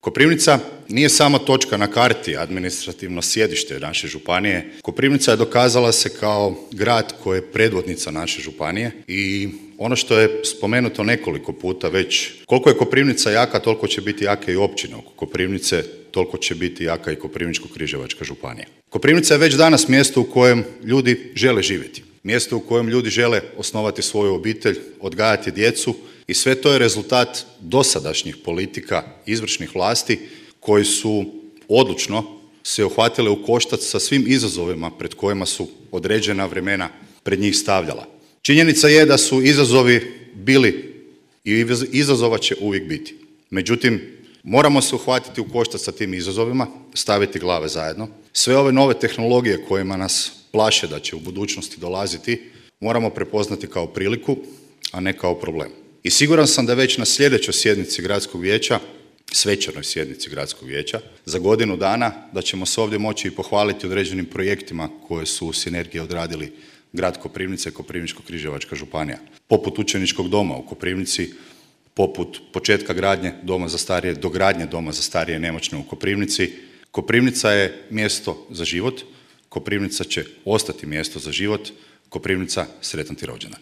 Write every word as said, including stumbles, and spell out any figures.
Koprivnica nije samo točka na karti, administrativno sjedište naše županije. Koprivnica je dokazala se kao grad koji je predvodnica naše županije i ono što je spomenuto nekoliko puta već, koliko je Koprivnica jaka, toliko će biti jaka i općina oko Koprivnice, toliko će biti jaka i Koprivničko-križevačka županija. Koprivnica je već danas mjesto u kojem ljudi žele živjeti, mjesto u kojem ljudi žele osnovati svoju obitelj, odgajati djecu i sve to je rezultat dosadašnjih politika izvršnih vlasti koji su odlučno se uhvatile u koštac sa svim izazovima pred kojima su određena vremena pred njih stavljala. Činjenica je da su izazovi bili i izazova će uvijek biti. Međutim, moramo se uhvatiti u koštac sa tim izazovima, staviti glave zajedno. Sve ove nove tehnologije kojima nas plaše da će u budućnosti dolaziti, moramo prepoznati kao priliku, a ne kao problem. I siguran sam da već na sljedećoj sjednici gradskog vijeća, svečanoj sjednici gradskog vijeća, za godinu dana da ćemo se ovdje moći i pohvaliti određenim projektima koje su u sinergiji odradili grad Koprivnica i Koprivničko-križevačka županija. Poput učeničkog doma u Koprivnici, poput početka gradnje doma za starije, dogradnje doma za starije i nemoćne u Koprivnici. Koprivnica je mjesto za život, Koprivnica će ostati mjesto za život, Koprivnica, sretan ti rođendan.